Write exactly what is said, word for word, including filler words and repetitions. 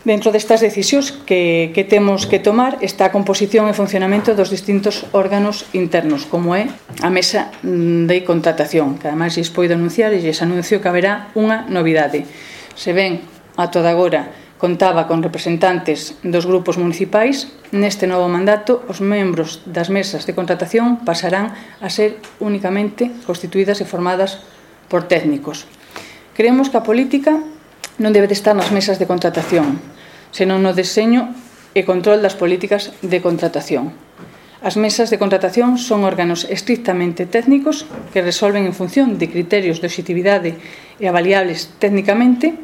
Dentro destas decisións que, que temos que tomar está a composición e funcionamento dos distintos órganos internos, como é a mesa de contratación, que ademais lles poido anunciar e lles anuncio que haberá unha novidade. Se ven a toda agora contaba con representantes dos grupos municipais, neste novo mandato os membros das mesas de contratación pasarán a ser únicamente constituídas e formadas por técnicos. Creemos que a política non debe de estar nas mesas de contratación, senón no deseño e control das políticas de contratación. As mesas de contratación son órganos estrictamente técnicos que resolven en función de criterios de obxectividade e avaliables técnicamente